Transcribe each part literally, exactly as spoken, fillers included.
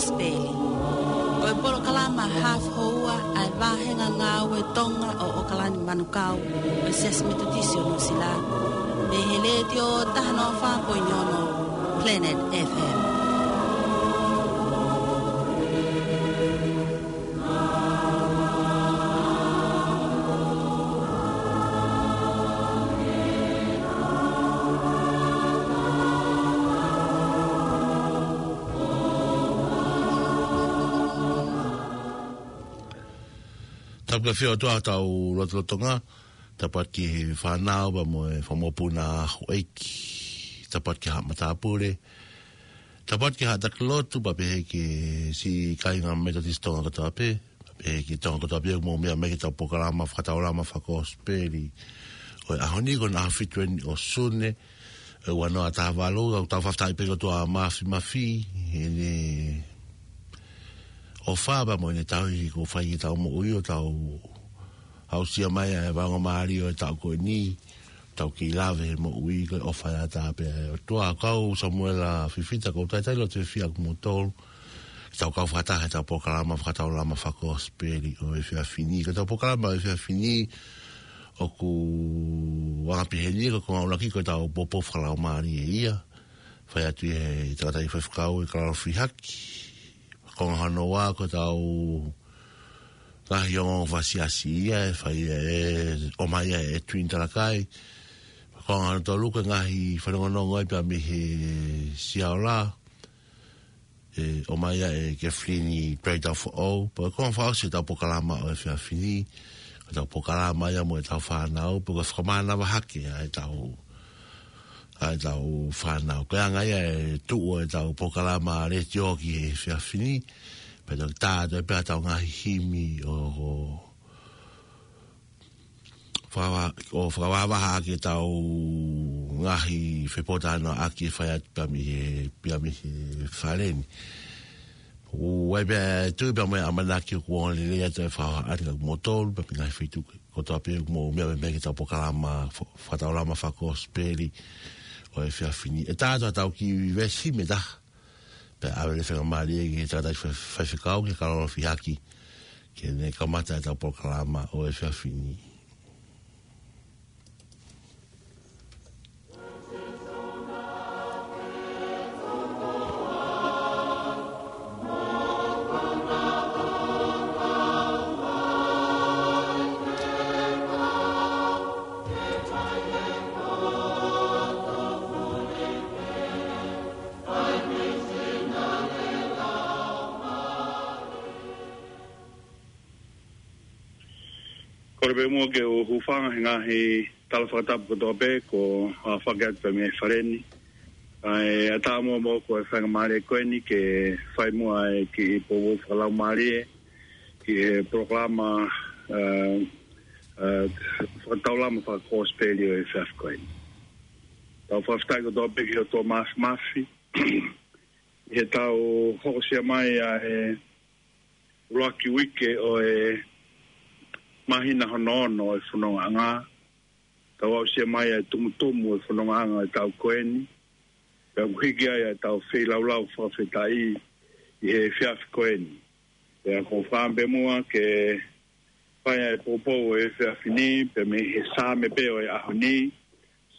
Kosipeli. Ko e polokalama hafu houa ʻa e vāhenga ngāue Tonga ʻo ʻOkalani Manukau ʻo e Siasi Metotisi ʻo Nuʻusila, mei he Letiō taha noa fā poini ono Planet F M. Tapu ki he ʻOtua ʻi hotau lotolotonga, tapu atu ki he fānau pea mo e fanga mokopuna houʻeiki, tapu atu ki he haʻa matāpule, tapu atu ki he haʻa taki lotu, pea pehē ki he siʻi kāinga Metotisi Tonga kotoa pē, pea pehē ki Tonga kotoa pē ʻoku mou meʻa mai ki heʻetau polokalama fakataulama fakakosipeli ʻo e ʻaho ni, ko hono ʻaho fitu eni ʻo Sune, ʻo e ua noa taha valu, ʻoku tau fakafetaʻi pē ki he ʻOtua Māfimafi, heʻene ʻofa pea mo ʻene tauhi kuo fai ki heʻetau moʻui ʻo tau aʻusia mai ʻa e faingamālie ʻo e taʻu ko eni, tau kei lave he moʻui ko e ʻofa ʻataʻatā pē ʻa e ʻOtua. Ko au Samuela Fifita, ʻoku ou talitali loto fiefia ʻa kimoutolu ke tau kau fakataha heʻetau polokalama fakataulama fakakosipeli ʻo e efiafi ni. Ko ʻetau polokalama ʻo e efiafi ni ʻoku anga pē heni, ko e konga ʻuluaki ko ʻetau poupou fakalaumālie ia. Fai atu ʻe he tangataʻeiki faifekau ʻe Kalalofi Haki. Konga hono ua ko ʻetau ngaahi ongoongo fakasiasi ia ʻe fai ʻe, ʻomai ʻe Edwin Talakai. Konga hono tolu ko e ngaahi fanongonongo ia pea mei he Siaola, ʻe ʻomai ʻe Kathleen Prater Foʻou. Pea ko e konga fakaʻosi ʻetau polokalama ʻo e efiafi ni, ko ʻetau polokalama ia mo ʻetau fānau, pea ko e fakamānava hake ʻa ʻetau, ʻa ʻetau fānau. Ko e anga ia e tuʻu ʻo ʻetau polokalama letiō ki he efiafi ni, pea toki tā atu pē ʻetau ngaahi himi ʻo, ʻo fakava-, ʻo fakavahavaha ʻaki ʻetau ngaahi fepōtalanoaʻaki ʻe fai atu pea mei he, pea mei he fale ni. ʻOku ʻi ai pē ʻa e tui pea mo e ʻamanaki ʻoku ongo lelei atu e fakavahaʻa ʻa kimoutolu pea mei he ngaahi feituʻu kotoa pē ʻoku mou meʻa mai ki heʻetau polokalama fa-, fakataulama fakakosipeli ʻo e efiafi ni. ʻE tā atu ʻetau kiʻi veesi himi ʻe taha, pea ʻave e faingamālie ki he tangataʻeiki fai-, faifekau, ki he Kalalofi Haki, ke ne kamata ʻetau polokalama ʻo e efiafi ni. Kole pē muʻa ke u hūfanga he ngaahi tala fakatapu kotoa pē kuo, ʻa, fakahā atu pē mei he fale ni. ʻA e, ʻatā muʻa moʻoku e faingamālie ko eni ke fai muʻa e kiʻi poupou fakalaumālie ki he polokalama, ʻa, ʻa, fakataulama fakakosipeli ʻo e efiafi ko eni. Tau fakafetaʻi kotoa pē ki he ʻOtua Māfimafi ʻi heʻetau hokosia mai ʻa e ʻuluaki uike ʻo e māhina hono ono ʻo e fonongaʻanga. Tau aʻusia mai ʻa e tumutumu ʻo e fonongaʻanga ʻo e taʻu ko eni, pea ʻoku hiki ai ʻa ʻetau feilaulau fakafetaʻi ʻi he efiafi ko eni. Pea ʻoku ou fakaʻamu pē muʻa ke fai ʻa e poupou ʻo e efiafi ni pea mei he Saame pē ʻo e ʻaho ni,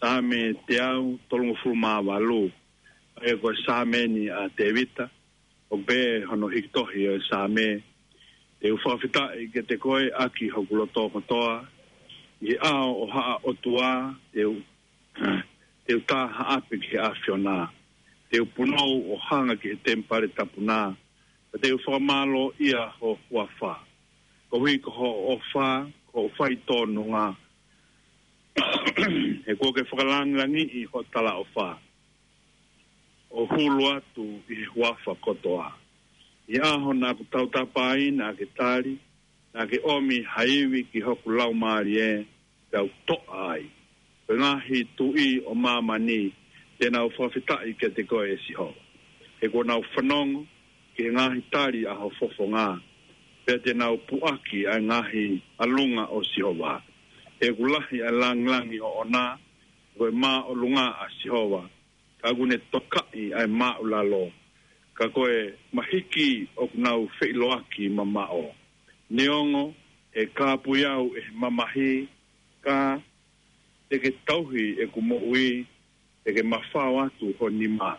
Saame teau tolungofulu mā valu. ʻA ia ko e Saame eni ʻa Tēvita, ʻoku pehē hono hiki tohi ʻo e Saame: Te u fakafetaʻi kiate koe ʻaki hoku loto kotoa, ʻi he ʻao ʻo haʻa ʻOtua te u, te u tā haʻape ki he ʻAfiona. Te u punou ʻo hanga ki he temipale tapu na, pea te u fakamālōʻia ho huafa, koeʻuhi ko hoʻo ʻofa, ko hoʻo faitōnunga. He kuo ke fakalangilangiʻi hoʻo talaʻofa ʻo hulu atu ʻi he huafa kotoa. ʻI he ʻaho naʻa ku tautapa ai naʻa ke tali, naʻa ke ʻomi ha ivi ki hoku laumālie, pea u toʻa ai. Ko e ngaahi tuʻi ʻo māmani te nau fakafetaʻi kiate koe, ʻe Sihova, he kuo nau fanongo ki he ngaahi tali ʻa ho fofonga, pea te nau puʻaki ʻa e ngaahi ʻalunga ʻo Sihova. He ʻoku lahi ʻa e langilangi ʻoʻona, ko e māʻolunga ʻa Sihova, ka ʻoku ne tokaʻi ʻa e māʻulalo. Ka ko e mahiki ʻoku nau feʻiloaki mamaʻo. Neongo ʻe kāpui au ʻe he mamahi, ka te ke tauhi ʻeku moʻui, te ke mafao atu ho nima.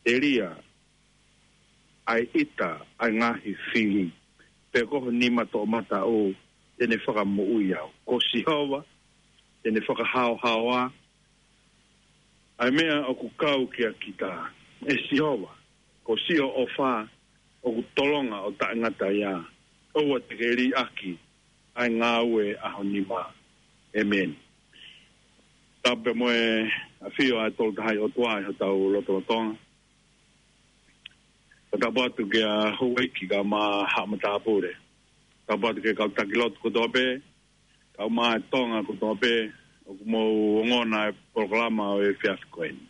Telia ʻa e ʻita ʻa e ngaahi fili, pea ko ho nima toʻomataʻu te ne fakamoʻui au. Ko Sihova te ne fakahaohaoa ʻa e meʻa ʻoku kau kia kita. ʻE Sihova, ko siʻo ʻofa ʻoku tolonga ʻo taʻengata ia. ʻOua te ke liʻaki ʻa e ngāue ʻa ho nima. ʻĒmeni. Tapu mo e ʻafio ʻa e Tolu Tahaʻi ʻOtua ʻi hotau lotolotonga. Ko tapu atu kia Houʻeiki kae ʻumaʻā haʻa matāpule. Tapu atu ki he kau taki lotu kotoa pē, kae ʻumaʻā e Tonga kotoa pē ʻoku mou ongona e polokalama ʻo e efiafi ko eni.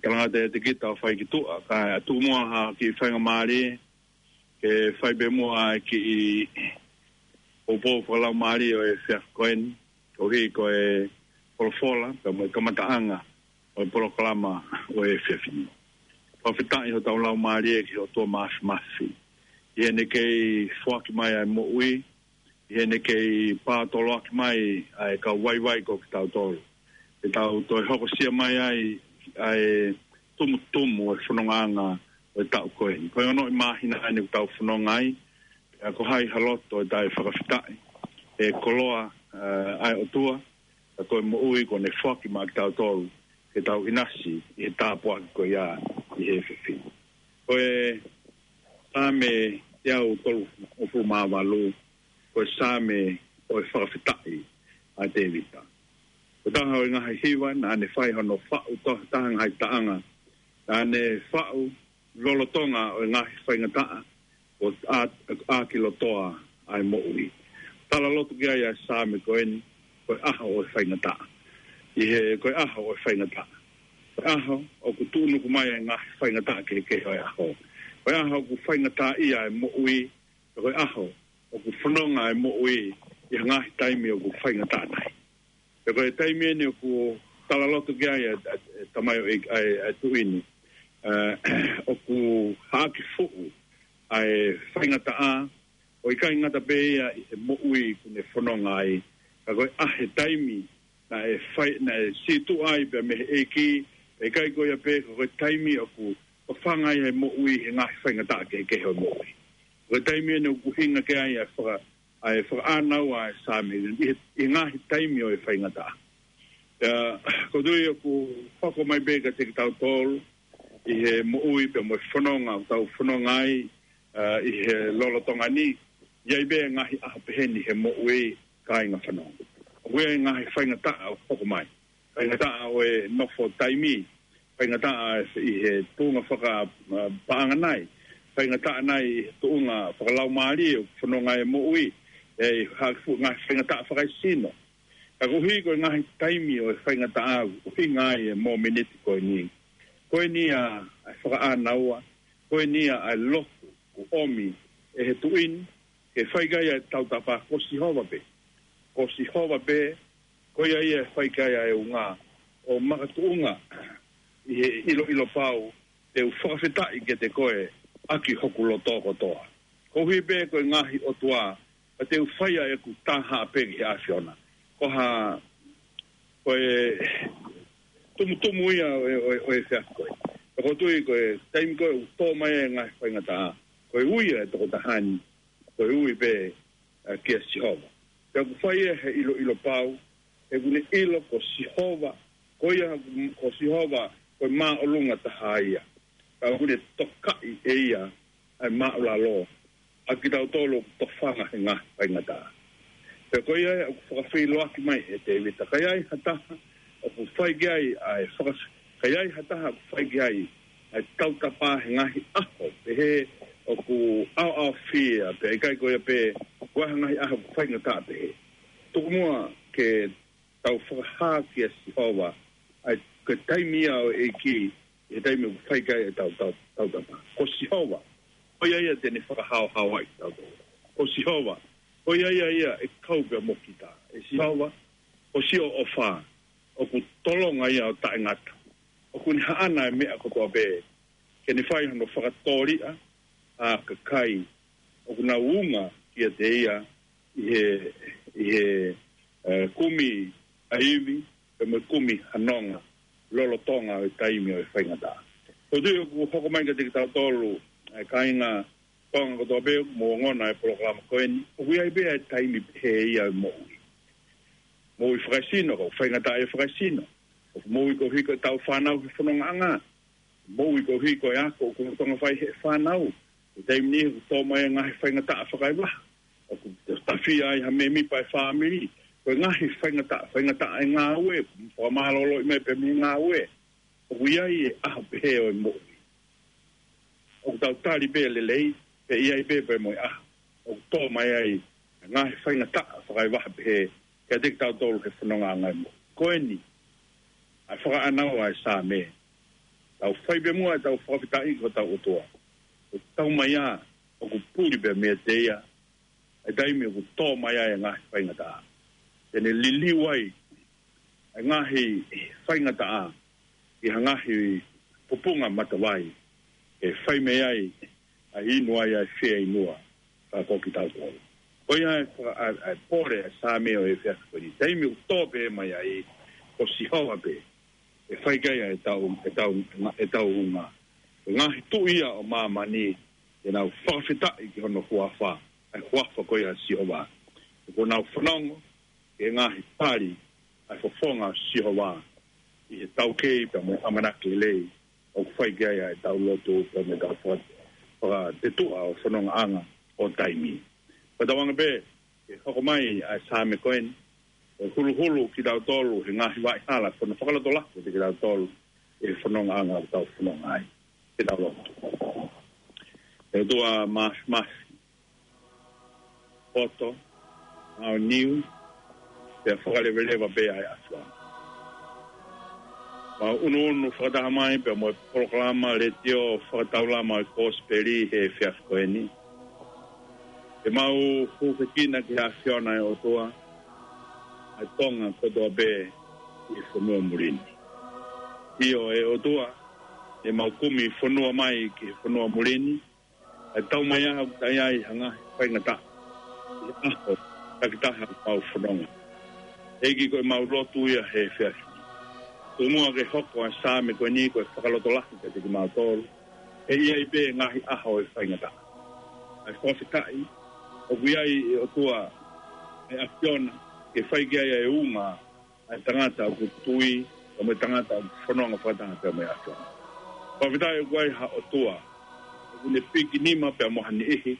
Talangata ʻiate kita ʻo fai ki tuʻa, kae tuku muʻa ha kiʻi faingamālie ke fai pē muʻa e kiʻi poupou fakalaumālie ʻo e efiafi ko eni, koeʻuhi ko e folofola pea mo e kamataʻanga ʻo e polokalama ʻo e efiafi ni. Fakafetaʻi hotau laumālie ki he ʻOtua Māfimafi ʻi heʻene kei foaki mai ʻa e moʻui, ʻi heʻene kei pātoloaki mai ʻa e kau vaivai ko kitautolu, ke tau toe hokosia mai ai ʻa e tumutumu ʻo e fonongaʻanga ʻo e taʻu ko eni. Ko e ongoʻi māhina ʻeni ʻoku tau fononga ai, pea ko hai ha loto ʻe taʻe fakafetaʻi he koloa, ē, ʻa e ʻOtua, ka ko e moʻui kuo ne foaki maʻa kitautolu ke tau ʻinasi ʻi he tāpuaki ko ia ʻi he efiafi. Ko e Saame teau tolungofulu mā valu, ko e Saame ʻo e fakafetaʻi ʻa Tēvita. Ko e taha ʻo e ngaahi hiva naʻa ne fai hono faʻu tokotaha ngaahi taʻanga, naʻa ne faʻu lolotonga ʻo e ngaahi faingataʻa ʻo ʻa-, ʻa ki lotoa ʻa e moʻui. Talaloto ki ai ʻa e Saame ko eni, ko e ʻaho ʻo e faingataʻa. ʻI he ko e ʻaho ʻo e faingataʻa, ko e ʻaho ʻoku tuʻunuku mai ʻa e ngaahi faingataʻa kehekehe ʻo e ʻaho. Ko e ʻaho ʻoku faingataʻaʻia ʻa e moʻui, ko e ʻaho ʻoku fononga ʻa e moʻui ʻi he ngaahi taimi ʻoku faingataʻa nai. Pea ko e taimi eni ʻoku talaloto ki ai ʻa e, ʻa e, ʻa e tamaioʻeiki, ʻa e, ʻa e tuʻi ni, ē, ʻoku haʻaki fuʻu ʻa e faingataʻa, ʻo ʻikai ngata pē ia ʻi he moʻui kuo ne fononga ai, ka ko e ʻa e taimi naʻe fai, naʻe sītuʻa ai pea mei he ʻEiki, pea ʻikai ko ia pē, ka ko e taimi ʻoku tofanga ai ʻa e moʻui he ngaahi faingataʻa kehekehe ʻo e moʻui. Ko e taimi eni ʻoku ʻuhinga ki ai ʻa e faka-, ʻa e fakaʻānaua ʻa e Saame ʻi he, ʻi he ngaahi taimi ʻo e faingataʻa. Pea ʻoku ou tui ʻoku hoko mai pē kiate kitautolu ʻi he moʻui pea mo e fononga ʻoku tau fononga ai, ē, ʻi he lolotonga ni, ʻi ai pē ngaahi ʻaho pehē ni he moʻui, kāinga fanongo. ʻOku ʻi ai ngaahi faingataʻa ʻoku hoko mai. Faingataʻa ʻo e nofo taimi, faingataʻa ʻi he tuʻunga faka-, ē, paʻanga nai, faingataʻa nai ʻi he tuʻunga fakalaumālie ʻoku fononga ai e moʻui, ʻi he haʻaki fuʻu ngaahi faingataʻa fakaesino. Ka koeʻuhi ko e ngaahi taimi ʻo e faingataʻa ʻoku ʻuhinga ai e mōmeniti ko eni. Ko eni ʻa, ʻa e fakaʻānaua, ko eni ʻa, ʻa e lotu ʻoku ʻomi ʻe he tuʻi ni ke fai ki ai ʻa e tautapa, ko Sihova pē. Ko Sihova pē, ko ia ia ʻe fai ki ai ʻa e unga ʻo makatuʻunga ʻi he ʻiloʻilo pau, te u fakafetaʻi kiate koe ʻaki hoku loto kotoa. Koeʻuhi pē ko e ngaahi ʻotua, ka te u fai ʻa ʻeku taha pē ki he ʻAfiona. Ko ha, ko e tumutumu ia ʻo e, ʻo e, ʻo e efiafi ko eni. Ka ʻoku ou tui ko e taimi ko ē ʻoku tō mai ai e ngaahi faingataʻa, ko e ui ʻa e tokotaha ni, ko e ui pē, ē, kia Sihova. Pea ʻoku fai ia he ʻiloʻilo pau, he ʻoku ne ʻilo ko Sihova, ko ia, ko Sihova, ko e māʻolunga taha ia. Pea ʻoku ne tokaʻi ʻe ia ʻa e māʻulalo ʻa kitautolu ʻoku tofanga he ngaahi faingataʻa. Pea ko ia ʻoku fakafeʻiloaki mai ʻe Tēvita, ka ʻi ai ha taha ʻoku fai ki ai ʻa e faka-, ka ʻi ai ha taha ʻoku fai ki ai ʻa e tautapa he ngaahi ʻaho pehē ʻoku ʻaoʻaofia, pea ʻikai ko ia pē, ko e ngaahi ʻaho ʻoku faingataʻa pehē. Tuku muʻa ke tau fakahā kia Sihova ʻa e, ko e taimi ia ʻo e ʻEiki, ʻi he taimi ʻoku fai ki ai ʻa e tau, tau, tautapa. Ko Sihova, ko ia ia te ne fakahaohaoaʻi kitautolu. Ko Sihova, ko ia ia ia ʻe kau pea mo kita. ʻE Sihova, ko siʻo ʻofa ʻoku tolonga ia ʻo taʻengata. ʻOku ne haʻana e meʻa kotoa pē ke ne fai hono fakatōliʻa ʻa e kakai ʻoku nau unga kiate ia ʻi he, ʻi he, ē, kumi ʻa e ivi, pea mo e kumi ha nonga, lolotonga ʻo e taimi ʻo e faingataʻa. Ko e tui ʻoku hoko mai kiate kitautolu, ʻa e kāinga Tonga kotoa pē ʻoku mou ongona e polokalama ko eni, ʻoku ʻi ai pē ʻa e taimi pehē ia ʻo e moʻui. Moʻui fakaesino, ko e faingataʻa ʻa e fakaesino. ʻOku moʻui koeʻuhi ko ʻetau fānau he fonongaʻanga. Moʻui koeʻuhi ko e ako ʻoku lolotonga fai ʻe he fānau. Ko e taimi ni ʻoku tō mai e ngaahi faingataʻa fakaevaha. ʻOku tafia ai ha mēmipa ʻo e fāmili. Ko e ngaahi faingataʻa, faingataʻa ʻa e ngāue, fakamālōlōʻi mai pē mei he ngāue. ʻOku ʻi ai e ʻaho pehē ʻo e moʻui. ʻOku tau tali pē lelei, pea ʻi ai pē pea mo e ʻaho ʻoku tō mai ai e ngaahi faingataʻa fakaevaha pehē kiate kitautolu he fonongaʻanga ʻo e moʻui. Ko eni, ʻa e fakaʻānaua ʻa e Saame. Tau fai pē muʻa ʻetau fakafetaʻi ki hotau ʻOtua. ʻOku tau mai ā, ʻoku puli pē meiate ia ʻa e taimi ʻoku tō mai ai e ngaahi faingataʻa. Te ne liliu ai ʻa e ngaahi faingataʻa ʻi ha ngaahi pupunga matavai, ʻe fai mei ai ʻa e inu ai ʻa e fieinua, ka ko kitautolu. Ko ia ʻa e, ʻa e, ʻa e pole ʻa e Saame ʻo e efiafi ko eni. Taimi ʻoku tō pē mai ai, ko Sihova pē ʻe fai ki ai ʻa ʻetau, ʻetau, ʻetau unga. Ko e ngaahi tuʻi ia ʻo māmani, te nau fakafetaʻi ki hono huafa, ʻa e huafa ko ia ʻa Sihova. Ko ʻenau fanongo ki he ngaahi tali ʻa e fofonga ʻo Sihova ʻi he taukei pea mo e ʻamanaki lelei ʻoku fai ki ai ʻa ʻetau lotu pea mo ʻetau faka-, fakatetuʻa ʻo e fonongaʻanga ʻo taimi. Pea tauange pē ke hoko mai ʻa e Saame ko eni, ʻo huluhulu kitautolu he ngaahi vaʻa hala, ko hono fakalotolahi kiate kitautolu ʻi he fonongaʻanga ʻoku tau fononga ai. Ke tau lotu. ʻE ʻOtua Māfimafi, poto, maʻoniʻoni, pea fakaleveleva pē ʻa e ʻAfiona. Mau ʻunuʻunu fakataha mai pea mo e polokalama letiō fakataulama ʻo e Kosipeli he efiafi ko eni. Ke mau hūfekina ki he ʻAfiona ʻe ʻOtua, ʻa e Tonga kotoa pē ʻi he fonua muli ni. ʻIo ʻe ʻOtua, ʻe mau kumi fonua mai ki he fonua muli ni, ʻa e tau mai ʻa ʻoku ʻi ai ha ngaahi faingataʻa ʻi he ʻaho takitaha ʻoku mau fononga. ʻEiki, ko ʻemau lotu ia he efiafi ni. Tuku muʻa ke hoko ʻa e Saame ko eni ko e fakalotolahi kiate kimautolu. ʻE ʻi ai pē ngaahi ʻaho ʻo e faingataʻa. ʻA e fakafetaʻi, ʻoku ʻi ai ʻe ʻOtua ʻa e ʻAfiona ke fai ki ai ʻa e unga ʻa e tangata ʻoku tui, pea mo e tangata ʻoku fononga fakataha pea mo e ʻAfiona. Fakafetaʻi ʻoku ʻi ai ha ʻOtua ʻoku ne pikinima pea mo ha niʻihi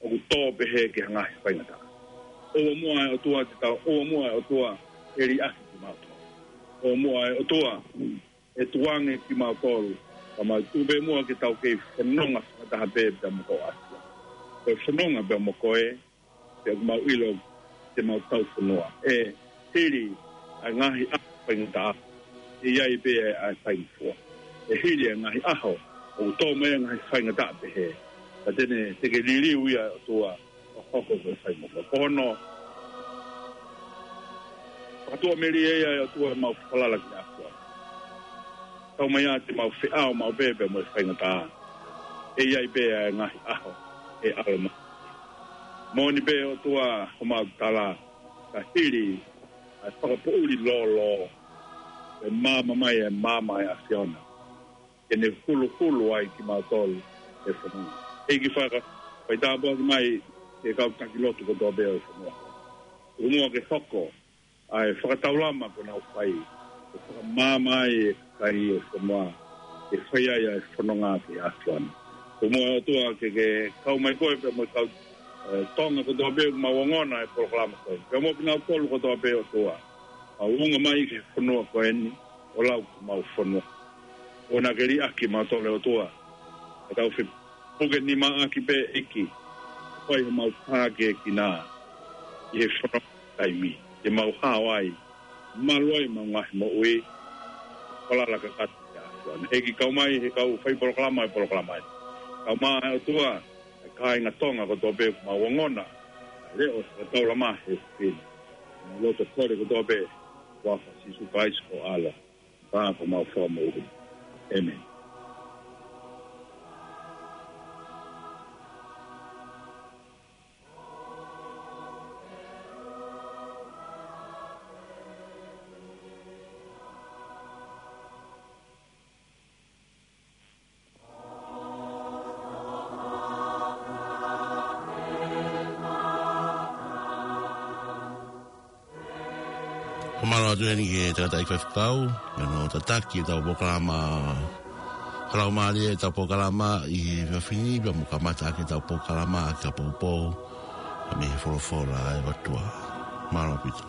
ʻoku tō pehē ki ha ngaahi faingataʻa. ʻOua muʻa ʻe ʻOtua te tau, ʻoua muʻa ʻe ʻOtua ʻe liʻaki kimautolu. ʻOua muʻa ʻe ʻOtua ʻe tukuange kimautolu, ka mau tuku pē muʻa ke tau kei fononga fakataha pē pea mo ho ʻAfiona. Ko e fononga pea mo koe, pea ʻoku mau ʻilo te mau tau fonua. ʻE hili ʻa e ngaahi ʻaho faingataʻa, ʻe ʻi ai pē ʻa e faingofua. ʻE hili ʻa e ngaahi ʻaho ʻoku tō mai ʻa e ngaahi faingataʻa pehē, ka te ne, te ke liliu ia ʻe ʻOtua ʻo hoko ko e faingofua. Ko hono fakatuʻamelie ia ʻe ʻOtua ʻemau falala ki he ʻAfiona. Tau mai ā te mau feʻao maʻu pē pea mo e faingataʻa. ʻE ʻi ai pē ʻa e ngaahi ʻaho ʻe ʻalu mai. Moʻoni pē ʻOtua homau tala, ka hili ʻa e fakapoʻuli lōlō, ʻe maama mai ʻa e maama ʻa e ʻAfiona ke ne huluhulu ai kimautolu he fononga. ʻEiki, faka-, fai tāpuaki mai ki he kau taki lotu kotoa pē ʻo e fonua. Tuku muʻa ke hoko ʻa e fakataulama kuo nau fai, ke fakamaama ai e kakai ʻo e fonua, ke fai ai ʻa e fononga ki he ʻAfiona. Tuku muʻa ʻOtua ke, ke kau mai koe pea mo e kau, ē, Tonga kotoa pē ʻoku mau ongona e polokalama ko eni. Pea mo kinautolu kotoa pē ʻOtua ʻoku mau unga mai ki he fonua ko eni, ʻo lau ki homau fonua. ʻOua naʻa ke liʻaki kimautolu ʻe ʻOtua. Ka tau fepukenimaaʻaki pē ʻEiki, fai homau tākiekina ʻi he fononga taimi, te mau hao ai, malu ai ʻemau ngaahi moʻui, falala kakato ki he ʻAfiona. ʻEiki, kau mai he kau fai polokalama e polokalama eni. Kau mai ʻOtua, ʻa e kāinga Tonga kotoa pē ʻoku mau ongona ʻa e leʻo fakataulama he efiafi ni. Mau loto kole kotoa pē, huafa ʻo Sīsū Kalaisi ko ho ʻAlo, pea ko homau Fakamoʻui. ʻĒmeni. Mālō atu heni ki he tangataʻeiki faifekau, ʻi hono tataki ʻetau polokalama. Ka lau mālie ʻetau polokalama ʻi he efiafi ni, pea mo kamata ʻaki ʻetau polokalama ʻaki ʻa poupou, ʻa mei he folofola ʻa e ʻOtua. Mālō ʻaupito.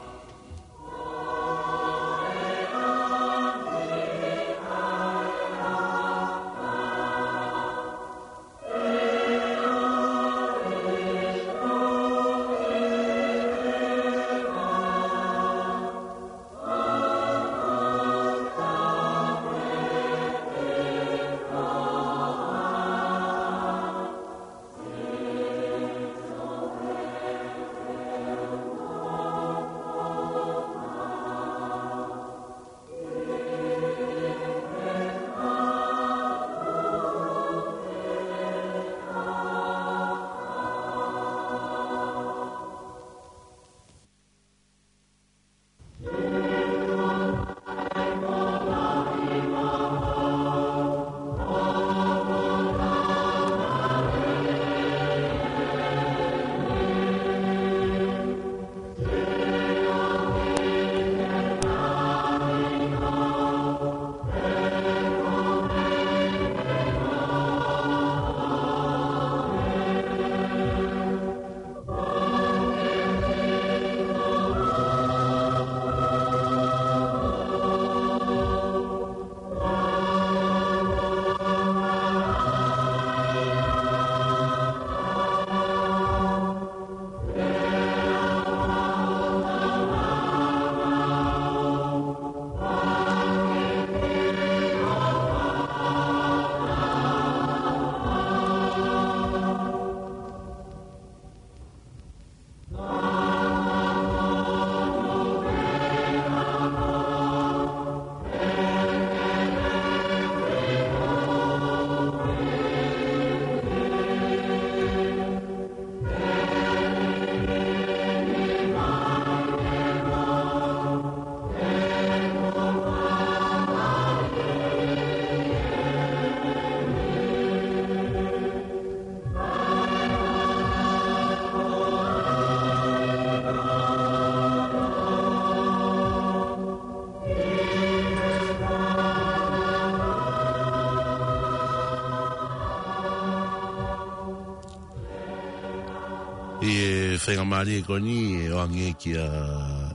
ʻI he faingamālie ko eni ʻe ʻoange kia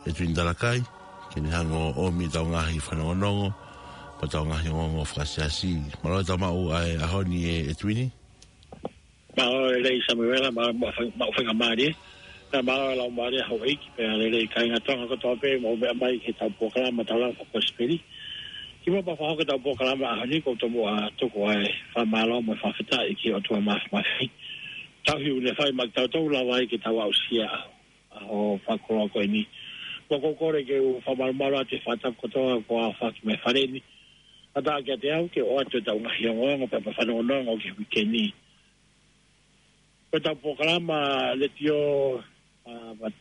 ʻEtuini Talakai, ke ne hanga ʻo ʻomi ʻetau ngaahi fanongonongo, mo ʻetau ngaahi ongoongo fakasiasi. Mālō e tau maʻu ʻa e ʻaho ni ʻe ʻEtuini. Mālō e lelei Samuela, mālō e maʻu fai-, maʻu faingamālie. Pea mālō e laumālie houʻeiki, pea lelei kāinga Tonga kotoa pē, mou meʻa mai ki heʻetau polokalama tau lava fakakosipeli. Kimuʻa pea fakahoko ʻetau polokalama ʻaho ni, ʻoku ou tomuʻa tuku ʻa e fakamālō mo e fakafetaʻi ki he ʻOtua Māfimafi. Tauhi ʻoku ne fai maʻa kitautolu lava ai ke tau aʻusia ʻa e ʻaho fakakoloa ko eni. Pea ʻoku ou kole ke u fakamalumalu atu he fakatapu kotoa kuo aofaki mai he fale ni. Kātaki kiate au ke ʻoatu ʻetau ngaahi ongoongo pea mo e fanongonongo ki he uike ni. Ko ʻetau polokalama letiō, ʻa, ma-,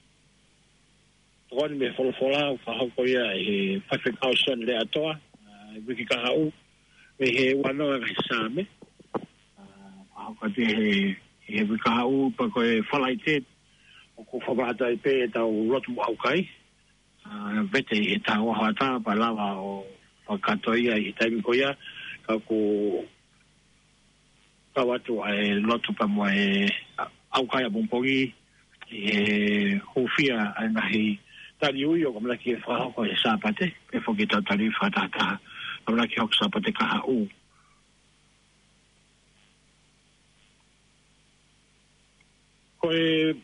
tokoni mei he folofola ʻoku fakahoko ia ʻe he faifekau Sione Leʻatoa, ʻa, ʻi he uike kahaʻu, mei he ua noa ngaahi Saame. ʻA, fakahoko atu he, he uike kahaʻu pea ko e Falaite, ʻoku fakamahataʻi pē ʻetau lotu mo ʻaukai. ʻA, vete ʻi he taha ua hoʻatā pea lava ʻo fakakātoa ia ʻi he taimi ko ia, ka ʻoku kau atu ʻa e lotu pea mo e ʻaukai ʻapongipongi ʻi he hūfia ʻa e ngaahi tali ui ʻoku ʻamanaki ke fakahoko he Sāpate, pea foki ʻetau tali ui fakatahataha, ʻamanaki hoko Sāpate kahaʻu. Ko e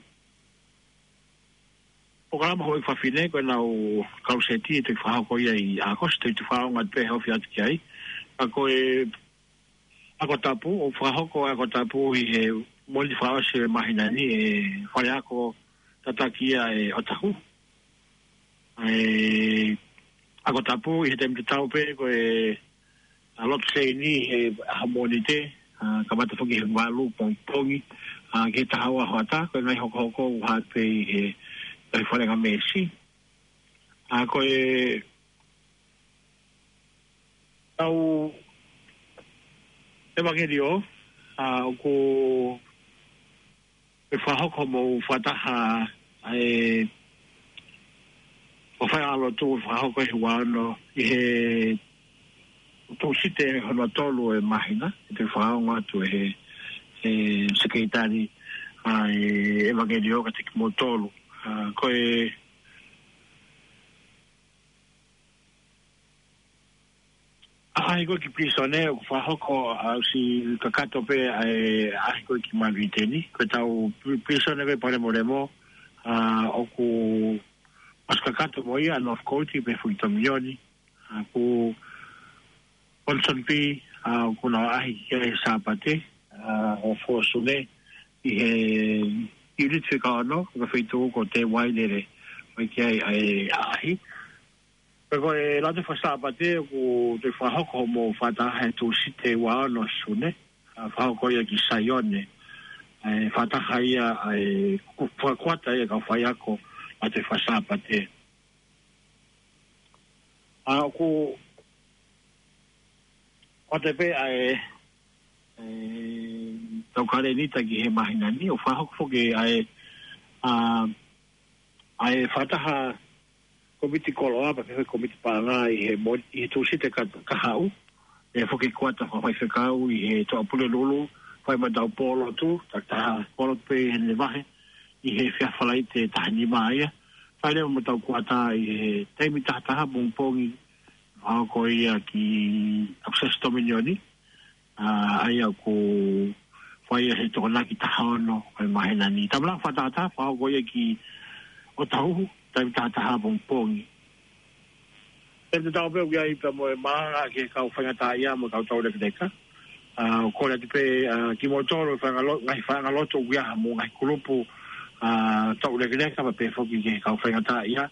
polokalama houʻeiki fafine, ko ʻenau kaluseti, ʻe toki fakahoko ia ʻi ʻAokosi, te u toe fakaongo atu pē he ofi atu ki ai. Ka ko e ako tapu, ʻoku fakahoko e ako tapu ʻi he Mōnite fakaʻosi ʻo e māhina ni ʻe he fale ako tataki ia ʻe ʻOtahu. ʻE, ako tapu ʻi he taimi tatau pē ko e, ʻa, lotu seini he ʻaho Mōnite, ʻa, kamata foki he valu pongipongi, ʻa, ki he taha ua hoʻatā, ko e ngaahi hokohoko ʻoku hā pē ʻi he ngaahi falengamesi. ʻA, ko e ʻetau ʻevangeliō, ʻa, ʻoku ʻe fakahoko mo fakataha ʻa e ʻo Faiʻalotu ʻe fakahoko he ua ono ʻi he Tūsite hono tolu ʻo e māhina, ʻe toe fakaongo atu ʻe he, he Sekelitali ʻa e ʻevangeliō kiate kimoutolu. ʻA, ko e ʻaʻahi ko ē ki Pilīsone ʻoku fakahoko, ʻa, ʻosi kakato pē ʻa e ʻaʻahi ko ē ki Manuʻiteni. Ko ʻetau pi-, Pilīsone ko ē Palemolemo, ʻa, ʻoku ʻosi kakato mo ia Northcote pea foki Tongatapu. ʻA, ko Ponsonby, ʻa, ʻoku nau ʻaʻahi ki ai he Sāpate, ʻa, ʻo Sune, ʻi he ʻiuniti fika ono, ko e feituʻu ko Te Wailele, ʻoku ʻi ai ʻa e ʻaʻahi. Pea ko e lāunga fakasāpate ʻoku toe fakahoko hoʻomou fakataha he Tūsite ua ono Sune, ʻa, fakahoko ia ki Saione, ʻa e fakataha ia ʻa e ku-, fakakuata ia kau faiako lāunga fakasāpate. ʻA, ʻoku ʻoatu pē ʻa e, e, tau kalēnita ki he māhina ni, ʻo fakahoko foki ʻa e, ʻa, ʻa e fakataha komiti koloa, pea pehē komiti paʻanga ʻi he mo-, ʻi he Tūsite ka, kahaʻu. ʻE foki kuata fakafaifekau ʻi he Toʻapulelulu, fai mo ʻetau pōlotu, takitaha pōlotu pē ʻi heʻene vahe, ʻi he efiafi Falaite taha nima ia. Fai leva mo ʻetau kuata ʻi he taimi taha taha pongipongi, fakahoko ia ki ʻAkusiasi Tominiyoni, ʻa, ʻa ia ʻoku fai ia he Tokonaki taha ono ʻo e māhina ni. Taimi lāunga fakataha, fakahoko ia ki ʻOtahuhu, taimi taha taha pongipongi. ʻE te tau pē ʻoku ʻi ai pē mo e malanga ki he kau faingataʻaʻia mo e kau taulekeleka. ʻA, ʻoku kole atu pē, ʻa, kimoutolu faʻahinga lo-, ngaahi faʻahinga lotu ʻoku ʻi ai haʻamou ngaahi kulupu, ʻa, taulekeleka pea pehē foki ki he kau faingataʻaʻia.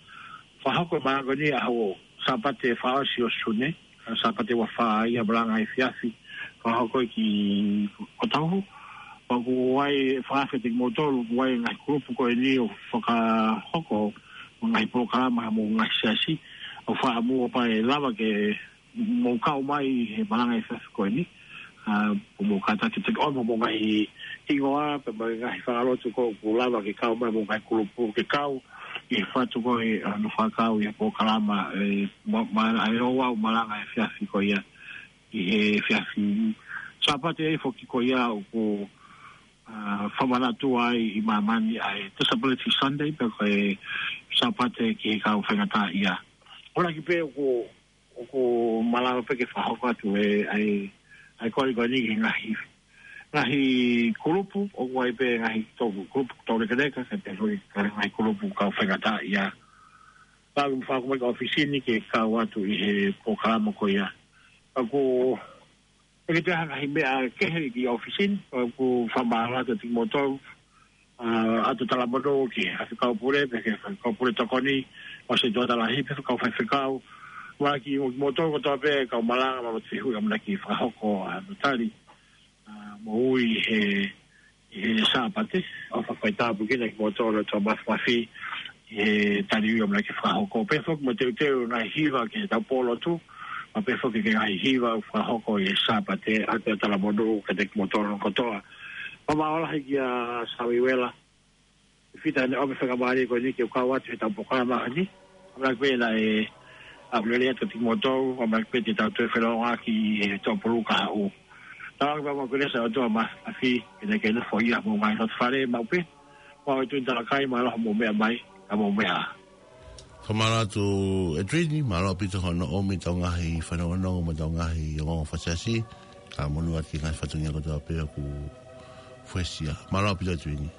Fakahoko e malanga ni ʻaho Sāpate fakaʻosi ʻo Sune, ʻa, Sāpate ua fā ia malanga efiafi, fakahoko ki ʻOtahuhu. Pea ʻoku ʻi ai e fakaafe kiate kimoutolu, ʻoku ʻi ai e ngaahi kulupu ko eni ʻoku fakahoko mo e ngaahi polokalama mo e ngaahi siasi, ʻo fakaʻamu ʻo kapau ʻe lava ke mou kau mai he malanga efiafi ko eni. ʻA, ʻoku mou kātaki ke toki ʻomi hoʻomou ngaahi hingoa, pea mo e ngaahi faʻahinga lotu ko ē ʻoku lava ke kau mai mo e ngaahi kulupu ke kau ʻi he fatu ko ē, ʻa, ʻo fakakau ʻi he polokalama, ʻe, ma-, ma-, ʻa e ouau malanga efiafi ko ia ʻi he efiafi Sāpate ʻe foki ko ia ʻoku, ʻa, fakamanatu ai ʻi māmani ʻa e Disability Sunday, pea ko e Sāpate ki he kau faingataʻaʻia. ʻOku ʻi ai pē ʻoku ʻoku malava pē ke fakahoko atu e, ʻa e, ʻa e kole ko eni ki he ngaahi, ngaahi kulupu, ʻoku ʻi ai pē ngaahi tau-, kulupu taulekeleka, kae pehē foki ki he ngaahi kulupu kau faingataʻaʻia. Pea ʻoku mou fakahoko mai ki he ʻōfisi ni ke kau atu ʻi he polokalama ko ia. ʻOku ʻikai toe ʻi ai ha ngaahi meʻa kehe ki he ʻōfisi ni, ʻoku fakamālō atu kiate kimoutolu, ʻa, ʻa e Talamonū ki he Faifekau Pule, pea ki he Faifekau Pule Tokoni, ʻo e Setuata Lahi, pea ki he kau faifekau. Mo kimoutolu kotoa pē kau malanga mo e fehuʻi ʻamanaki fakahoko, ʻa, mo tali, ʻa, mo ui he, he Sāpate, ʻofa fai tāpuekina kimoutolu ʻe he ʻOtua Māfimafi, he tali ui ʻamanaki fakahoko. Pea foki mo teuteu ngaahi hiva ki heʻetau pōlotu, pea pehē foki ki he ngaahi hiva fakahoko ʻi he Sāpate, ʻa e Talamonū kiate kimoutolu kotoa. Fakamālō lahi kia Samiuela Fifita heʻene ʻomi e faingamālie ko eni ke u kau atu heʻetau polokalama ni. ʻAmanaki pē naʻe ʻaulelei atu kiate kimoutolu, ʻamanaki pē te tau toe felōngoaki he Toʻapulu kahaʻu. Tauange pē ʻa e kelesi ʻa e ʻOtua Māfimafi, ke ne, ke ne foaki ʻa e ngaahi loto fale maʻu pē. Ko au ʻEtuini Talakai, mālō hoʻomou meʻa mai, ka mou meʻa ā. Fakamālō atu ʻEtuini, mālō ʻaupito hono ʻomi ʻetau ngaahi fanongonongo mo ʻetau ngaahi ongoongo fakasiasi, kae monū atu ki he ngaahi fatongia kotoa pē ʻoku fuesia. Mālō ʻaupito ʻEtuini.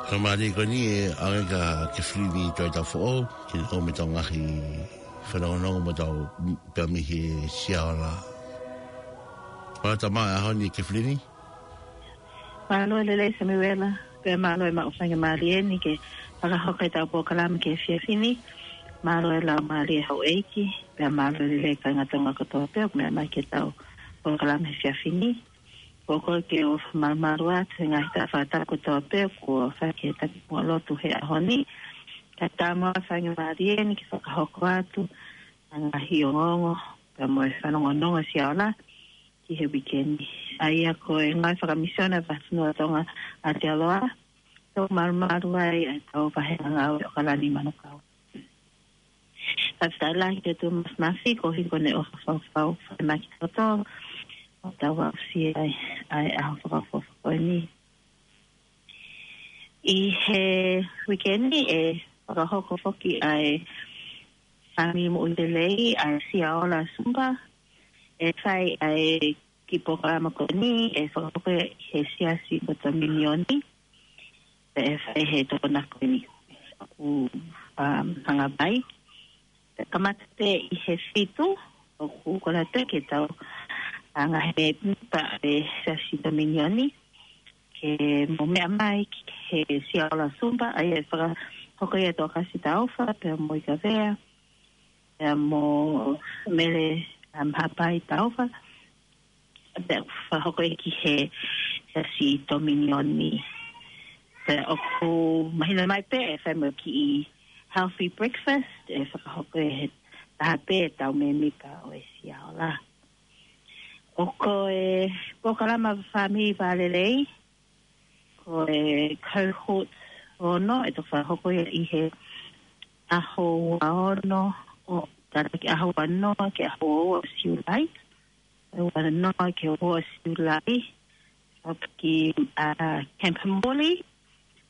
Ka mālie ko eni ʻe ʻalu ʻa Kefilini Toetau Foʻou, ke ne ʻomai ʻetau ngaahi fanongonongo mo ʻetau pea mei he Siaola. Mālō e tama ʻaho ni Kefilini. Mālō e lelei Samiuela, pea mālō e maʻu faingamālie ni ke fakahoko ʻetau polokalama ki he efiafi ni. Mālō e laumālie houʻeiki, pea mālō e lelei kāinga Tonga kotoa pē ʻoku meʻa mai ki heʻetau polokalama he efiafi ni. ʻOku ou kole ke u fakamālō atu he ngaahi taʻu fakataha kotoa pē kuo fai ki he taki puha lotu he ʻaho ni. Kae ʻatā mo e faingamālie ni ke fakahoko atu ʻa e ngaahi ongoongo, pea mo e fanongonongo Siaola ki he uike ni. ʻA ia ko e ngāue fakamisiona ʻa e Fakafonua Tonga ʻAotearoa, ʻoku mālumalu ai ʻa ʻetau vahenga ngāue ʻAokalani Manukau. Fakafetaʻi lahi ki he ʻOtua Māfimafi, koeʻuhi ko ʻene ʻofa fau fai mai ki he loto, ʻo tau aʻusia ai ʻa e ʻaho fakaʻofoʻofa ko eni. ʻI he uike ni ʻe fakahoko foki ʻa e fāmili moʻui lelei ʻa e Siaola Zumba, ʻe fai ʻa e kiʻi polokalama ko eni ʻe fakahoko ʻi he Siasi ʻo e Dominion, pea ʻe fai he Tokonaki ko eni ʻoku, um, hanga mai. Kamata pē ʻi he fitu, ʻoku kole atu ke tau, ʻa e ngaahi mēmipa ʻo e Siasi Dominion ke mou meʻa mai ki he Siaola Zumba, ʻa ia ʻe fakahoko ʻe Tokasi Taufa, pea mo Ikavea, pea mo Mele, um, Hapai Taufa. Pea ʻoku fakahoko ia ki he Siasi Dominion. Pea ʻoku mahino mai pē ʻe fai mo e kiʻi healthy breakfast ʻe fakahoko ʻe he taha pē ʻetau mēmipa ʻo e Siaola. ʻOku ko e polokalama fāmili vālelei, ko e cohort ono, ʻe toki fakahoko ia ʻi he ʻaho ua ono ʻo, tātaki ʻaho ua noa ki he ʻaho ua ua ʻo Siulai. ʻAho ua noa ki he ua ua ʻo Siulai. ʻOku ki, ʻa, Camp Morley.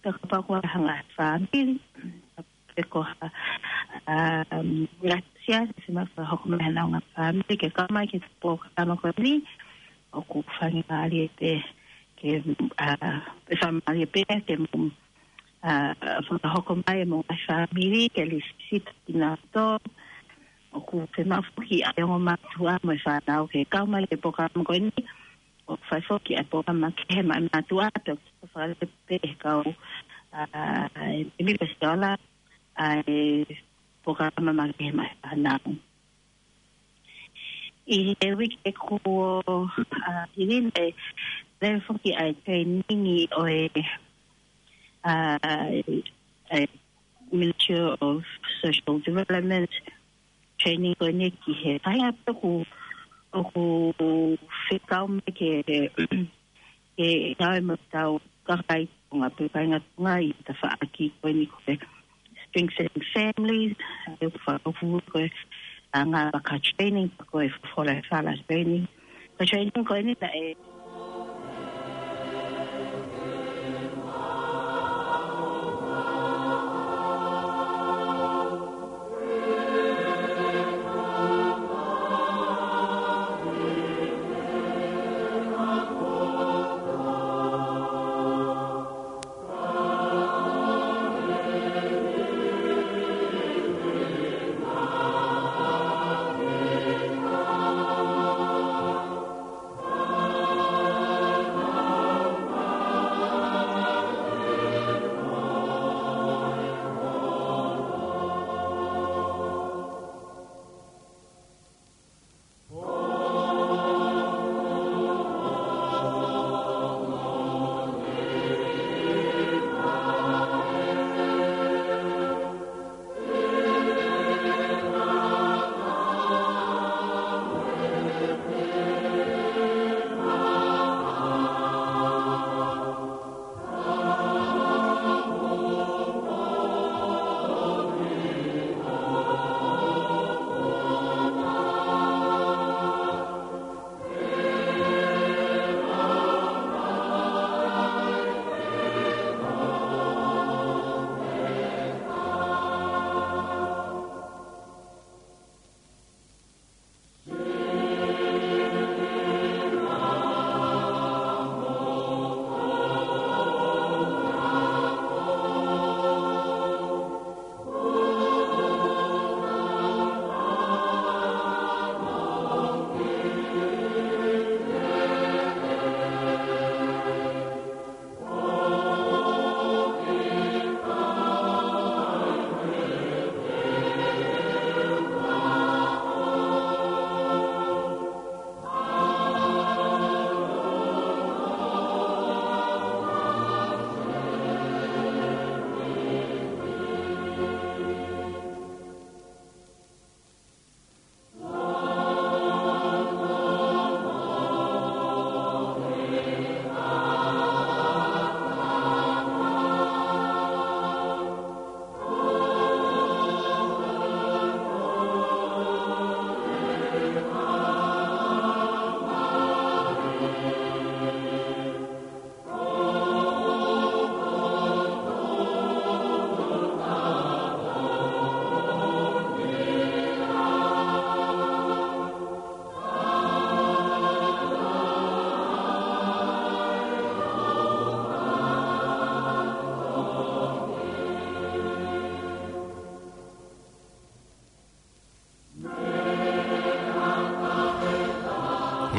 Pea kapau ʻoku ʻi ai ha ngaahi fāmili, pe ko ha, um, ngaahi siasi ʻe fiemaʻu ke fakahoko mai ʻe haʻanau ngaahi fāmili ke kau mai ki he polokalama ko eni, ʻoku faingamālie pē ke, ʻa, ʻe faingamālie pē ke mou, ʻa, fakahoko mai ʻemou ngaahi fāmili ke lisi kinautolu. ʻOku fiemaʻu foki ʻa e ongo mātuʻa mo e fānau ke kau mai ki he polokalama ko eni, ʻoku fai foki ʻa e polokalama makehe maʻa e mātuʻa, pea ʻoku fakalele pē ʻe he kau, ʻa, ʻe mimi pe Siaola, ʻa e polokalama makehe maʻa e fānau. ʻI he uike kuo, ʻa, hili ni ʻe lele foki ʻa e training ʻo e, ʻa, ʻa e Ministry of Social Development, training ko eni ki he faʻahinga pē ʻoku, ʻoku fekau mai ke, ke ngāue mo ʻetau kakai Tonga pe kāinga Tonga ʻi he tafaʻaki ko eni ko e strengthening families, ʻa ia ʻoku fakahoko ko e anga vaka training, pe ko e folofola ʻa e fala training. Ko e training ko eni naʻe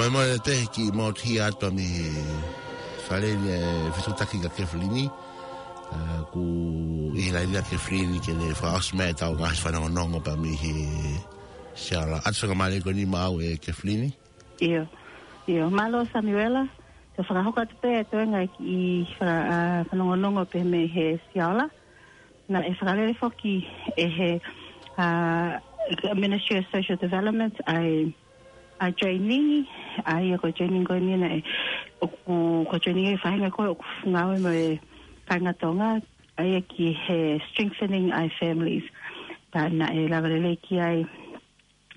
Mo e te ki mo tia atu mi fale ni e fetuʻutaki kia Kefilini. Ā, ko e ʻi he laine ʻa Kefilini ke ne fakaʻosi mai ʻetau ngaahi fanongonongo pea mei he Siaola. ʻOatu fakamālō ko eni maʻau ʻe Kefilini. ʻIo, ʻio, mālō Samiuela. Te u fakahoko atu pē ʻa e toenga ʻi he fa-, ā, fanongonongo pē mei he Siaola. Naʻe fakalele foki ʻe he, ā, Ministry of Social Development ʻa e, ʻa e training, ʻa ia ko e training ko eni naʻe, ʻoku, ko e training ʻa e faʻahinga ko ē ʻoku ngāue mo e kāinga Tonga, ʻa ia ki he strengthening ʻa e families. Pea naʻe lava lelei ki ai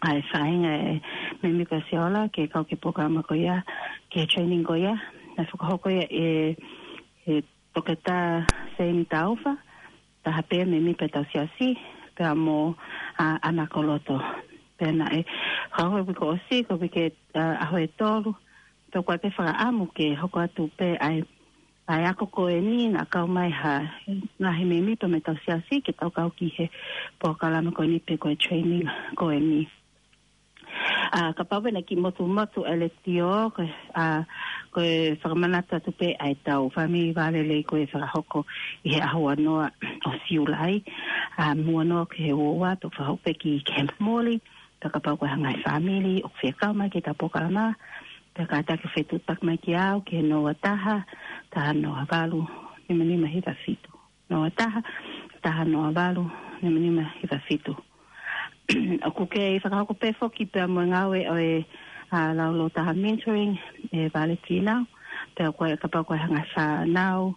ʻa e faʻahinga e mēmipa Siaola ke kau ki he polokalama ko ia, ki he training ko ia, naʻe fakahoko ia ʻe, ʻe Toketā Seini Taufa, taha pē mēmipa ʻetau siasi, pea mo, ā, ʻAna Koloto. Pea naʻe, ā, ko e uike kuo ʻosi, ko e uike, ā, ʻaho ʻe tolu, pea ko e pē fakaʻamu ke hoko atu pē ʻa e, ʻa e ako ko eni, naʻa kau mai ha, ngaahi mēmipa mei heʻetau siasi, ke tau kau ki he polokalama ko eni pe ko e training ko eni. Ā, kapau pē naʻe kiʻi motumotu e letiō, ko e, ā, ko e fakamanatu atu pē ʻa ʻetau fāmili vālelei ko ē ʻe fakahoko ʻi he ʻaho uanoa ʻo Siulai. Ā, uanoa ki he uaua, pea fakahoko pē ki, ki he muli, pea kapau ko e ngaahi fāmili ʻoku fie kau mai ki heʻetau polokalama, pea kātaki ʻo fetuʻutaki mai kiate au, ki he noa taha, taha noa valu, nima nima hiva fitu. Noa taha, taha noa valu, nima nima hiva fitu. ʻOku kei fakahoko pē foki pea mo e ngāue ʻo e, ā, laulau taha mentoring ʻe Vale Fīnau, pea ko e kapau ko e ngaahi fānau,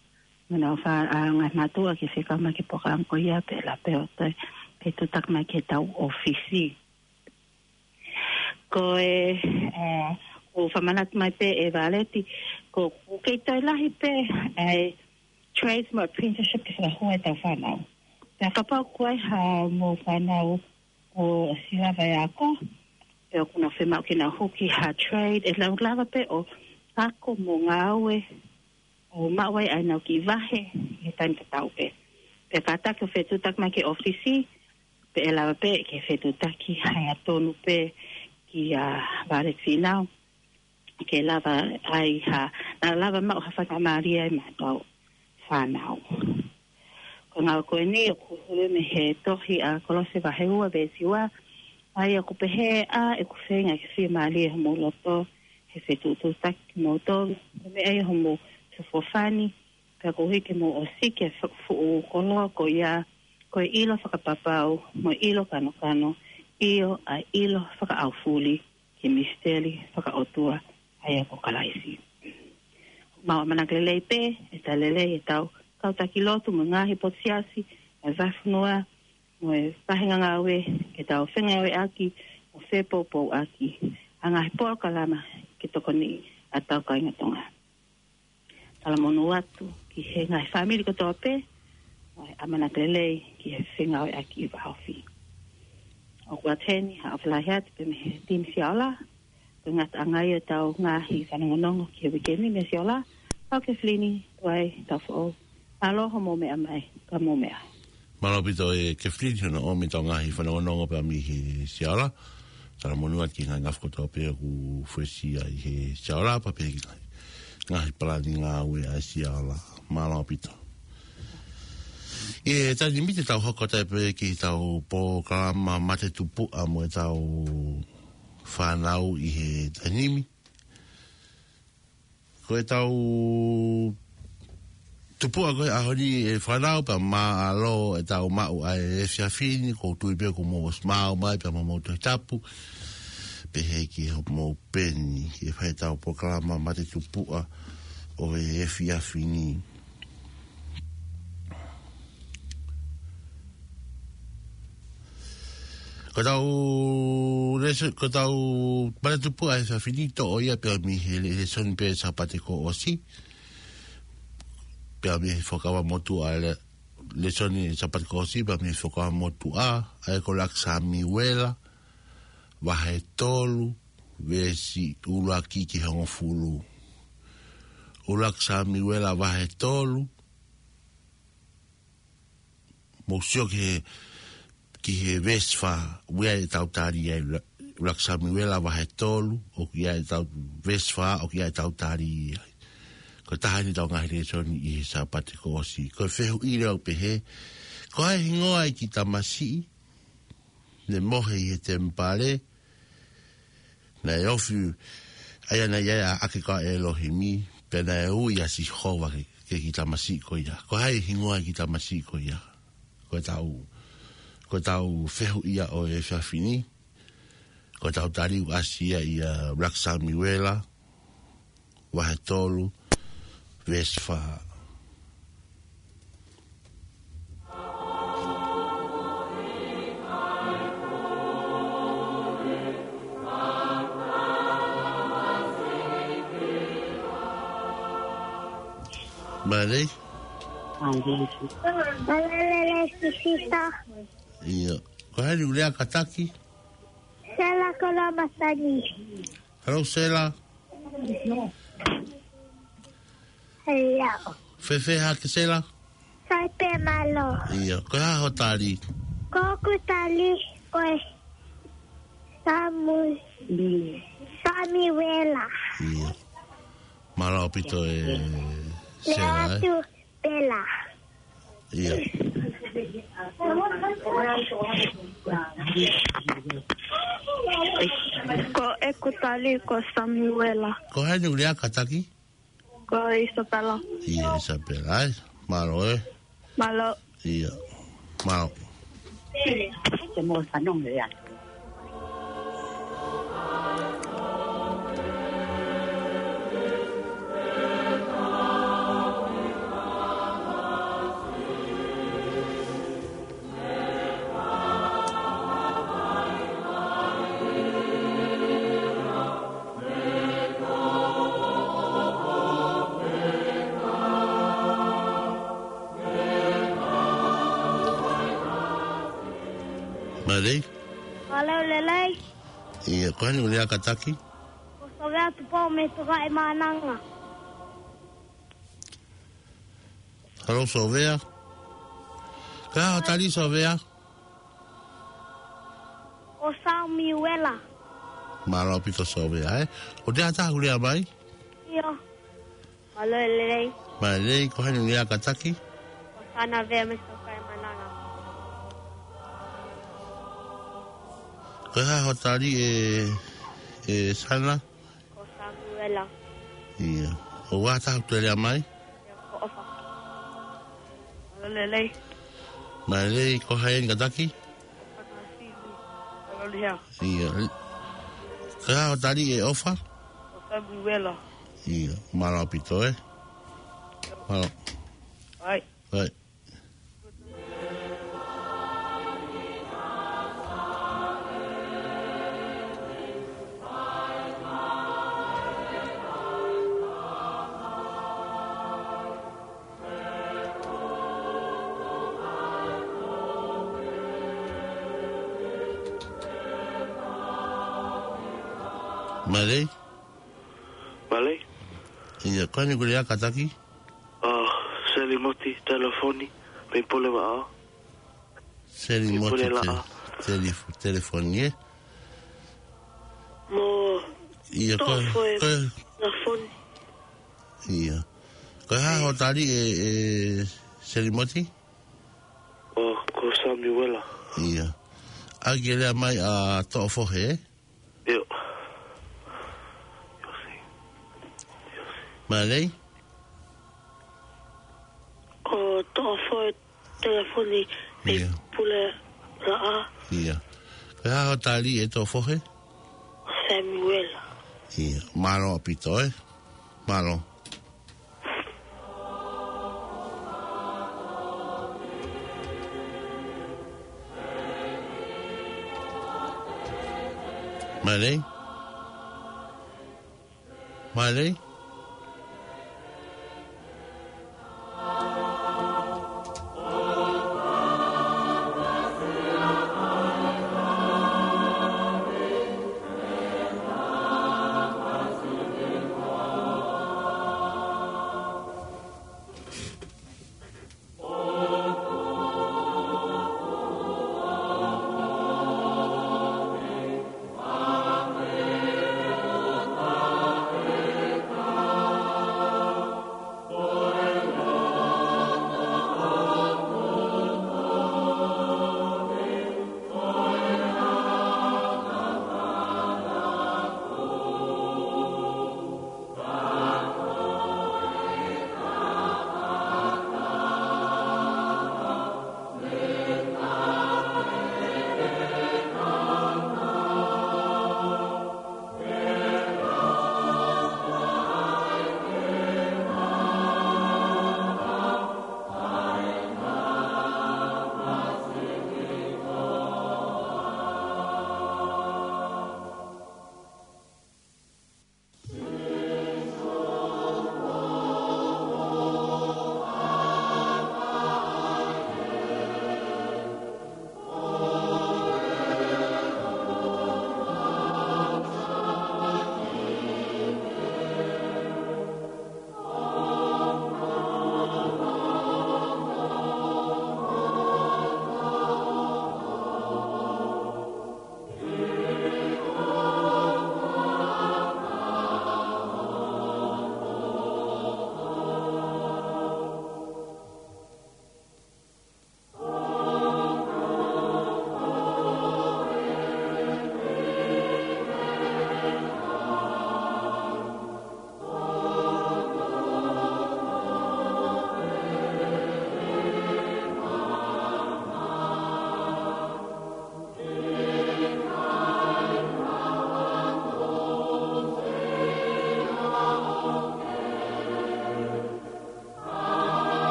mo e ngaahi fā-, ā, ngaahi mātuʻa ke fie kau mai ki he polokalama ko ia pea lava pē ʻo toe, fetuʻutaki mai ki heʻetau ʻōfisi. Ko e, ā, ʻoku fakamanatu mai pē ʻe Valeti, ko, ʻoku kei toe lahi pē ʻa e trades mo apprenticeship ke fakahū ʻetau fānau. Pea kapau ko e hā mo e fānau ʻoku ʻosi lava e ako, pea ʻoku nau fiemaʻu ke nau hū ki ha trade, ʻe lava, lava pē ʻo ako mo ngāue ʻo maʻu ai ʻenau kiʻi vahe ʻi he taimi tatau pē. Pea kātaki ʻo fetuʻutaki mai ki he ʻōfisi, pea ʻe lava pē ke fetuʻutaki hangatonu pē kia Vale Fīnau, ke lava ai ha, naʻa lava maʻu ha faingamālie ai maʻa ʻetau fānau. Ko e ngāue ko eni ʻoku hulu mei he tohi ʻa Kolose vahe ua veesi ua, ʻa ia ʻoku pehē, ʻa ē ʻoku feinga ke fiemālie homou loto, he fetuʻutaki kimoutolu, ko e meʻa ia homou feʻofoʻofani, pea koeʻuhi ke mou ʻosiki e fuʻu koloa ko ia, ko e ʻilo fakapapau, mo e ʻilo kanokano, ʻio ʻa e ʻilo fakaʻaufuli, ki he misiteli fakaʻotua, ʻa ia ko Kalaisi. Mau ʻamanaki lelei pē, ʻe talitali lelei ʻetau kau taki lotu mo e ngaahi potu siasi, mo e vahefonua, mo e faʻahinga ngāue, ke tau fengāueʻaki, mo fepoupouʻaki, ʻa e ngaahi polokalama ke tokoniʻi ʻa ʻetau kāinga Tonga. Talamonū atu ki he ngaahi fāmili kotoa pē, ʻa e ʻamanaki lelei ki he fengāueʻaki vāofi. ʻOku ʻoatu heni ha ʻofa lahi atu pē mei he timi Siaola, ko e ngataʻanga ia ʻetau ngaahi fanongonongo ki he uike ni mei Siaola, ʻa Kefilini Tuʻai Tafoʻou. Mālō hoʻomou meʻa mai, ka mou meʻa. Mālō ʻaupito ʻe Kefilini hono ʻomi ʻetau ngaahi fanongonongo pea mei he Siaola. Talamonū atu ki he ngaahi ngafa kotoa pē ʻoku fuesia ʻi he Siaola pea pehē ki he ngaahi, ngaahi palani ngāue ʻa e Siaola. Mālō ʻaupito. ʻI he taimi ni te tau hoko atu pē ki heʻetau polokalama mate tupuʻa mo ʻetau fānau ʻi he taimi ni. Ko ʻetau tupuʻa ko e ʻaho ni ʻe fānau pea mālō ʻetau maʻu ʻa e efiafi ni, ʻoku ou tui pē kuo mou ʻosi maʻu mai pea mo hoʻomou Tohi Tapu, pehē ki hoʻomou peni, ke fai ʻetau polokalama mate tupuʻa ʻo e efiafi ni. Ko ʻetau lēso-, ko ʻetau mate tupuʻa he efiafi ni toʻo ia pea mei he lē-, lēsoni pē Sāpate kuo ʻosi. Pea mei he Fuakava Motuʻa le-, lēsoni Sāpate kuo ʻosi, pea mei he Fuakava Motuʻa, ʻa ia ko ʻUluaki Samiuela, vahe tolu, veesi ʻuluaki ki he hongofulu. ʻUluaki Samiuela vahe tolu, mou sio ki he, ki he veesi fā, ʻoku ʻi ai ʻetau tali ai ʻa e, ʻUluaki Samiuela vahe tolu, ʻoku ʻi ai ʻetau veesi fā, ʻoku ʻi ai ʻetau tali ai. Ko e taha eni ʻetau ngaahi lēsoni ʻi he Sāpate kuo ʻosi. Ko e fehuʻi leva ʻoku pehē, ko e hā e hingoa ʻo e kiʻi tamasiʻi naʻe mohe ʻi he temipale, naʻe ofi ai ʻa e ʻaʻake ko ia ʻa ʻElohimi, pea naʻe ui ʻa Sihova ki he, ki he kiʻi tamasiʻi ko ia. Ko e hā e hingoa ʻo e kiʻi tamasiʻi ko ia? Ko ʻetau, ko ʻetau fehuʻi ia ʻo e efiafi ni. Ko ʻetau tali ʻoku ʻasi ia ʻia ʻUluaki Samiuela vahe tolu, veesi fā. Mālō. Mālō e lelei, Sisita. ʻIo. Ko hai ʻoku lea kātaki? Sela Kolomasani. Hello, Sela. Hello. Fēfē hake, Sela? Sai pē, mālō. ʻIo, ko e hā hoʻo tali? Ko ʻeku tali, ko e Samu-, Samiuela. ʻIo. Mālō ʻaupito e Sela, ē? Leatu Pela. ʻIo. Ko ʻeku tali ko Samiuela. Ko hai ʻoku lea kātaki? Ko Isapela. ʻIo, Isapela, ē? Mālō, ē? Mālō. ʻIo. Mālō. Te mo fanong le atu. Mālō. Mālō e lelei. ʻIo, ko hai ʻoku lea kātaki? Ko Sovea Tupou mei Tukaʻi Maʻananga. Hello, Sovea. Ko e hā hoʻo tali, Sovea? Ko Samiuela. Mālō ʻaupito, Sovea, ē? ʻOku ʻi ai ha taha ʻoku lea mai? ʻIo. Mālō e lelei. Mālō e lelei, ko hai ʻoku lea kātaki? Ko Sana Vea mei Tukaʻi Maʻananga. Ko e hā hoʻo tali ē, ē Sana? Ko Samiuela. ʻIo. ʻOku ʻi ai ha taha ʻoku toe lea mai? ʻIo, ko ʻOfa. Mālō e lelei. Mālō e lelei, ko hai eni kātaki? ʻOfa Nāsili. Mālō e lelei. ʻIo. Ko e hā hoʻo tali ē ʻOfa? Ko Samiuela. ʻIo, mālō ʻaupito, ē? Mālō. ʻAi. ʻAi. Mālō. Mālō. ʻIo, ko hai ʻoku lea kātaki? ʻA, Selimoti, telefoni, mei Pulevaʻa. Selimoti, mei Pulevaʻa. Te-, telef-, telefoni, ē? Mo ʻIo, ko, Toʻofoe ko, telefoni. ʻIo. Ko e hā hoʻo tali ē, ē Selimoti? ʻO, ko Samiuela. ʻIo. ʻAi ke lea mai ʻa Toʻofoe, ē? ʻIo. Mālō. ʻO Toʻofoe telefoni mei ʻIo. Pulevaʻa. ʻIo. Ko e hā hoʻo tali ē Toʻofoe? Samiuela. ʻIo. Mālō ʻaupito, ē? Mālō. Mālō. Mālō.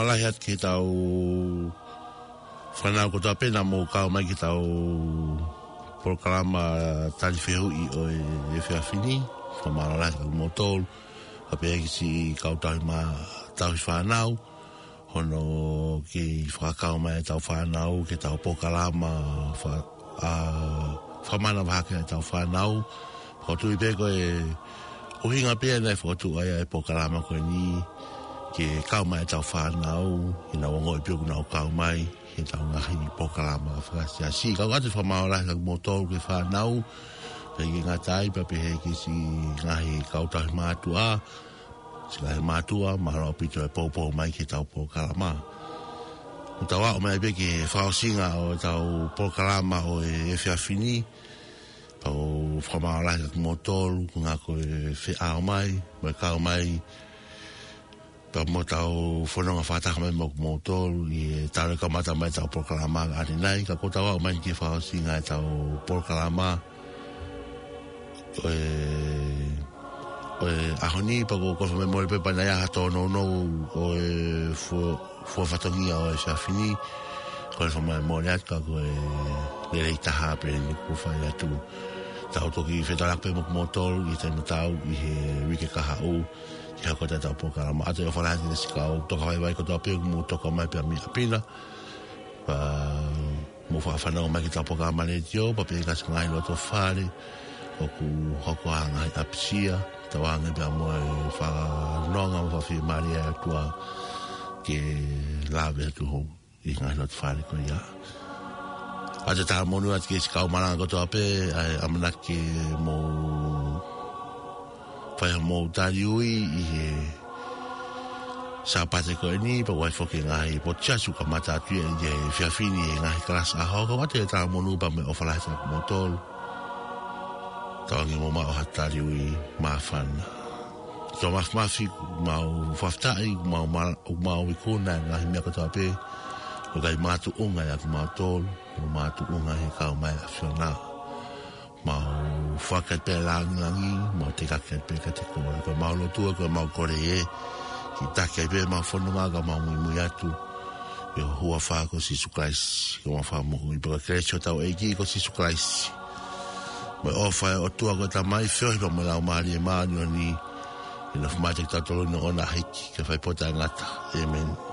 Lahi atu ki he tau fānau kotoa pē naʻa mou kau mai ki he tau polokalama tali fehuʻi ʻo e efiafi ni. Fakamālō lahi atu kiate kimoutolu. Pea pehē ki siʻi kau tauhi mā-, tauhi fānau. Hono kei fakakau mai e tau fānau ki he tau polokalama fa-, ʻa, fakamanavahē ki he tau fānau. Fokotuʻu pē ko e ʻuhinga pē ia naʻe fokotuʻu ai e polokalama ko eni ke kau mai e tau fānau, ke nau ongoʻi pē ʻoku nau kau mai he tau ngaahi polokalama fakasiasi. Kau atu e fakamālō lahi atu kiate kimoutolu ki he fānau, pea ʻikai ngata ai pea pehē ki siʻi ngaahi kau tauhi mātuʻa, siʻi ngaahi mātuʻa, mālō ʻaupito e poupou mai ki he tau polokalama. Kuo tau aʻu mai pē ki he fakaʻosinga ʻo e tau polokalama ʻo e efiafi ni, pea ʻoku ou fakamālō lahi atu kiate kimoutolu, ko e ngaahi ko e feʻao mai, mo e kau mai, pea mo e tau fononga fakataha mai mo kimoutolu, ʻi he talu e kamata mai e tau polokalama ʻanenai, ka kuo tau aʻu mai ki he fakaʻosinga e tau polokalama, ʻo e, ʻo e ʻaho ni, pea ʻoku ou kole fakamolemole pē pe naʻe ʻi ai ha tōnounou ʻo e fua-, fua fatongia ʻo e efiafi ni, kole fakamolemole atu ka ko e lelei taha pē eni ʻoku fai atu. Tau toki fetaulaki pē mo kimoutolu ʻi he taimi tatau ʻi he uike kahaʻu, ki he hoko atu e tau polokalama. ʻOatu e ʻofa lahi atu ki he siʻi kau tokavaivai kotoa pē ʻoku mou toka mai pē mei ʻapi na. Pea mou fakafanongo mai ki he tau polokalama letiō, pea pehē ki he ngaahi loto fale ʻoku hoko ai e ngaahi ʻapisia, tauange pea mo e fakanonga mo e fakafiemālie ʻa e ʻOtua ke lave atu hou ʻi he ngaahi loto fale ko ia. ʻOatu e talamonū atu ki he siʻi kau malanga kotoa pē, ʻa e ʻamanaki ke mou fai hoʻomou tali ui ʻi he Sāpate ko eni, pea ʻoku ʻi ai foki e ngaahi potu siasi ʻoku kamata atu ia ʻi he efiafi ni he ngaahi kalasi ʻaho, ka ʻoatu e talamonū pea mo e ʻofa lahi atu kiate kimoutolu. Tauange mou maʻu ha tali ui māfana. Tō Mafimafi, mau fakafetaʻi, mau ma-, mau ikuna e ngaahi meʻa kotoa pē, ʻoku ʻikai makatuʻunga ʻiate kimautolu, ʻoku makatuʻunga he kau mai ʻa e ʻAfiona. Mau fakafetaʻi pē lāngilangi, mau teʻeki ai pē kiate koe. Ko ʻemau lotu, ko ʻemau kole ē, ke taki ai pē ʻemau fononga, ka mau muimui atu ʻi ho huafa ko Sīsū Kalaisi, ko homau Fakamoʻui. Pea ko e kelesi ʻa hotau ʻEiki ko Sīsū Kalaisi, mo e ʻofa ʻa e ʻOtua ko e Tamai, feohi pea mo e Laumālie Māʻoniʻoni, ke nofo maʻa kitautolu ʻo aʻu ki he hiki, ke fai pē ʻo taʻengata. ʻĒmeni.